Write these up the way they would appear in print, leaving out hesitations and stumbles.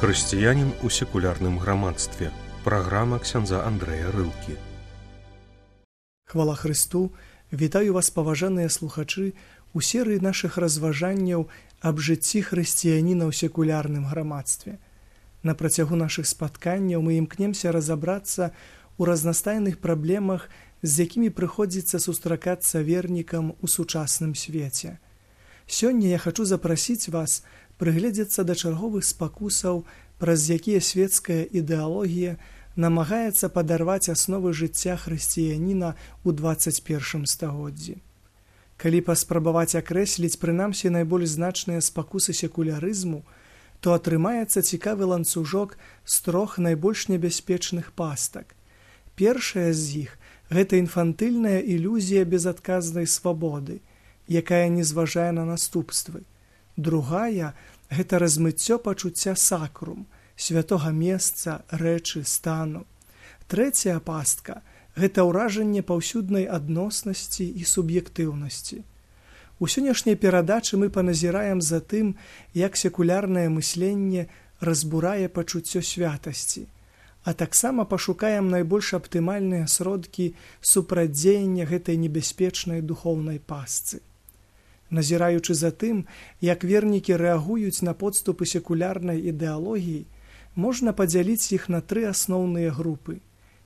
Хрысціянін у секулярным грамадстве. Праграма ксяндза Андрэя Рылкі. Хвала Хрысту! Вітаю вас, паважаныя слухачы, у серыі нашых разважанняў аб жыцці хрысціяніна ў секулярным грамадстве. На працягу нашых спатканняў мы імкнемся разабрацца ў разнастайных праблемах, з якімі прыходзіцца сустракацца вернікам у сучасным свеце. Сёння я хачу запрасіць вас прыгледзецца да чарговых спакусаў, праз якія свецкая ідэалогія намагаецца падарваць асновы жыцця хрысціяніна ў 21 стагоддзі. Калі паспрабаваць акрэсліць прынамсі найбольш значныя спакусы секулярызму, то атрымаецца цікавы ланцужок з трох найбольш небяспечных пастак. Першая з іх – гэта інфантыльная ілюзія безадказнай свабоды, якая не зважае на наступствы. Другая – гэта размыццё пачуцця сакрум, святога месца, рэчы, стану. Трэцяя пастка – гэта ўражанне паўсюднай адноснасці і суб'ектыўнасці. У сённяшняй перадачы мы паназіраем за тым, як секулярнае мысленне разбурае пачуццё святасці, а таксама пашукаем найбольш аптымальныя сродкі супрацьдзеяння гэтай небяспечнай духоўнай пастцы. Назіраючы за тым, як вернікі рэагуюць на подступы секулярнай ідэалогіі, можна падзяліць іх на тры асноўныя групы.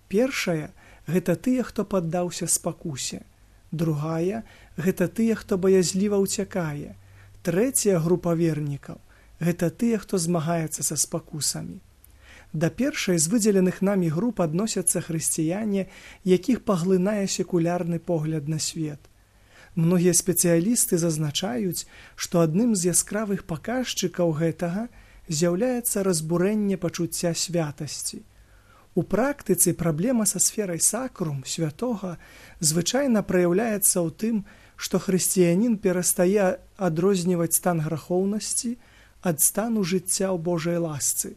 Першая – гэта тыя, хто паддаўся спакусе. Другая – гэта тыя, хто баязліва ўцякае. Трэцяя група вернікаў – гэта тыя, хто змагаецца са спакусамі. Да першай з выдзеленых намі груп адносяцца хрысціяне, якіх паглынае секулярны погляд на свет. Многія спецыялісты зазначаюць, што адным з яскравых паказчыкаў гэтага з'яўляецца разбурэнне пачуцця святасці. У практыцы праблема са сферай сакрум, святога, звычайна праяўляецца ў тым, што хрысціянін перастае адрозніваць стан грахоўнасці ад стану жыцця ў Божай ласцы.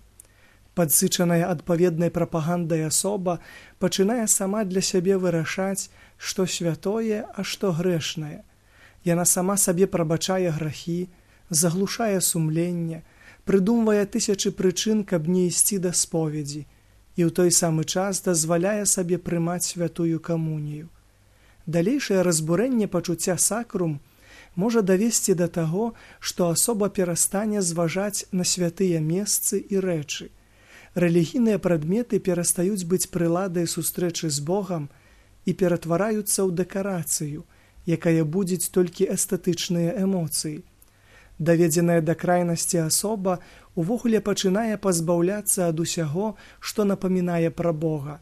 Падсычаная адпаведнай прапагандай асоба пачынае сама для сябе вырашаць, што святое, а што грэшнае. Яна сама сабе прабачае грахі, заглушае сумленне, прыдумвае тысячы прычын, каб не ісці да споведзі, і ў той самы час дазваляе сабе прымаць святую камунію. Далейшае разбурэнне пачуцця сакрум можа давесці да таго, што асоба перастане зважаць на святыя месцы і рэчы. Рэлігійныя прадметы перастаюць быць прыладай сустрэчы з Богам і ператвараюцца ў дэкарацыю, якая будзіць толькі эстэтычныя эмоцыі. Даведзеная да крайнасці асоба увогуле пачынае пазбаўляцца ад усяго, што напамінае пра Бога,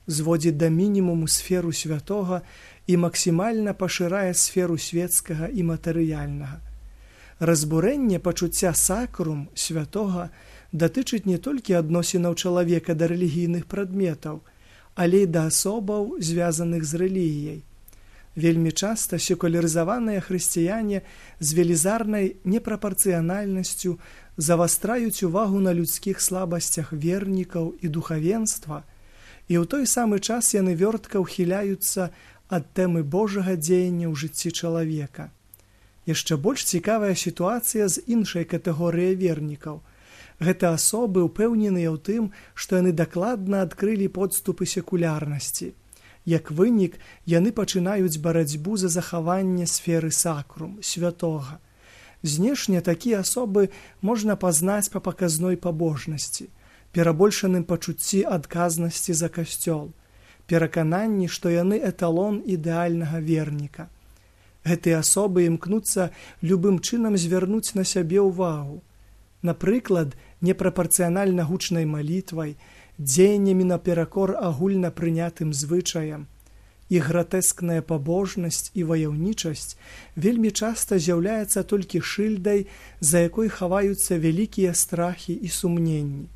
зводзіць да мінімуму сферу святога і максімальна пашырае сферу светскага і матэрыяльнага. Разбурэнне пачуцця сакрум, святога, датычыць не толькі адносінаў чалавека да рэлігійных прадметаў, але і да асобаў, звязаных з рэлігіяй. Вельмі часта секулярызаваныя хрысціяне з велізарнай непрапарцыянальнасцю завастраюць увагу на людскіх слабасцях вернікаў і духавенства, і ў той самы час яны вёртка ўхіляюцца ад тэмы Божага дзеяння ў жыцці чалавека. Яшчэ больш цікавая сітуацыя з іншай катэгорыяй вернікаў. Гэта асобы ўпэўненыя ў тым, што яны дакладна адкрылі подступы секулярнасці. Як вынік, яны пачынаюць барацьбу за захаванне сферы сакрум, святога. Знешне такія асобы можна пазнаць па паказной пабожнасці, перабольшаным пачуцці адказнасці за касцёл, перакананні, што яны эталон ідэальнага верніка. Гэтыя асобы імкнуцца любым чынам звярнуць на сябе ўвагу. Напрыклад, непрапарцыянальна гучнай малітвай, дзеяннямі наперакор агульна прынятым звычаям. Іх гратэскная пабожнасць і ваяўнічасць вельмі часта з'яўляецца толькі шыльдай, за якой хаваюцца вялікія страхі і сумненні.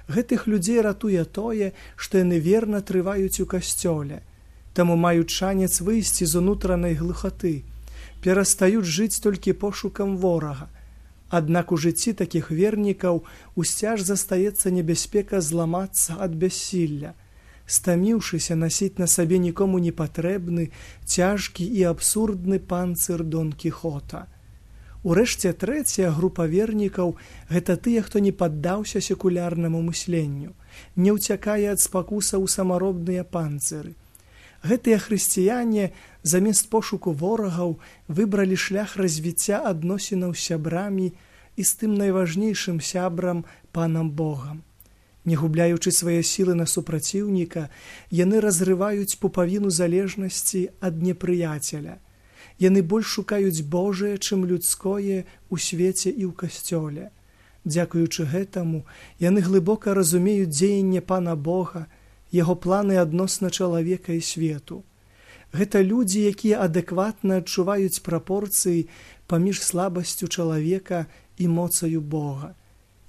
Гэтых людзей ратуе тое, што яны верна трываюць у касцёле, таму маюць шанец выйсці з унутранай глухаты, перастаюць жыць толькі пошукам ворага. Аднак у жыцці такіх вернікаў усцяж застаецца небяспека зламацца ад бяссілля, стаміўшыся насіць на сабе нікому не патрэбны, цяжкі і абсурдны панцыр Дон Кіхота. Урэшце, трэцяя група вернікаў – гэта тыя, хто не паддаўся секулярнаму мысленню, не ўцякае ад спакусаў у самаробныя панцыры. Гэтыя хрысціяне замест пошуку ворагаў выбралі шлях развіцця адносінаў з сябрамі і з тым найважнейшым сябрам панам Богам. Не губляючы свае сілы на супраціўніка, яны разрываюць пупавіну залежнасці ад непрыяцеля. Яны больш шукаюць Божае, чым людское ў свеце і ў касцёле. Дзякуючы гэтаму, яны глыбока разумеюць дзеянне пана Бога, яго планы адносна чалавека і свету. Гэта людзі, якія адэкватна адчуваюць прапорцыі паміж слабасцю чалавека і моцаю Бога.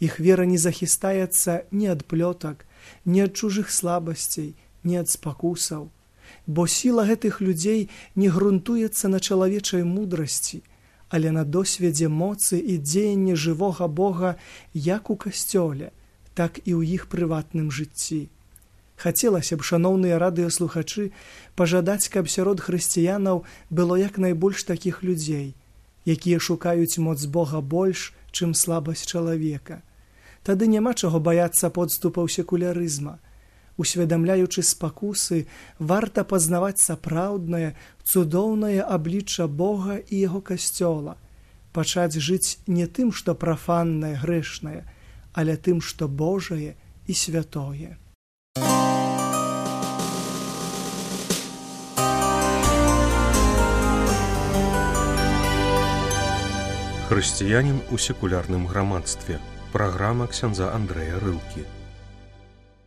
Іх вера не захістаецца ні ад плётак, ні ад чужых слабасцей, ні ад спакусаў. Бо сіла гэтых людзей не грунтуецца на чалавечай мудрасці, але на досведзе моцы і дзеяння жывога Бога як у касцёле, так і ў іх прыватным жыцці. Хацелася б, шаноўныя радыёслухачы, пажадаць, каб сярод хрысціянаў было як найбольш такіх людзей, якія шукаюць моц Бога больш, чым слабасць чалавека. Тады няма чаго баяцца подступаў секулярызма. Усведамляючы спакусы, варта пазнаваць сапраўднае, цудоўнае аблічча Бога і яго касцёла, пачаць жыць не тым, што прафаннае, грэшнае, але тым, што Божае і святое. Хрысціянін у секулярным грамадстве. Праграма ксяндза Андрэя Рылкі.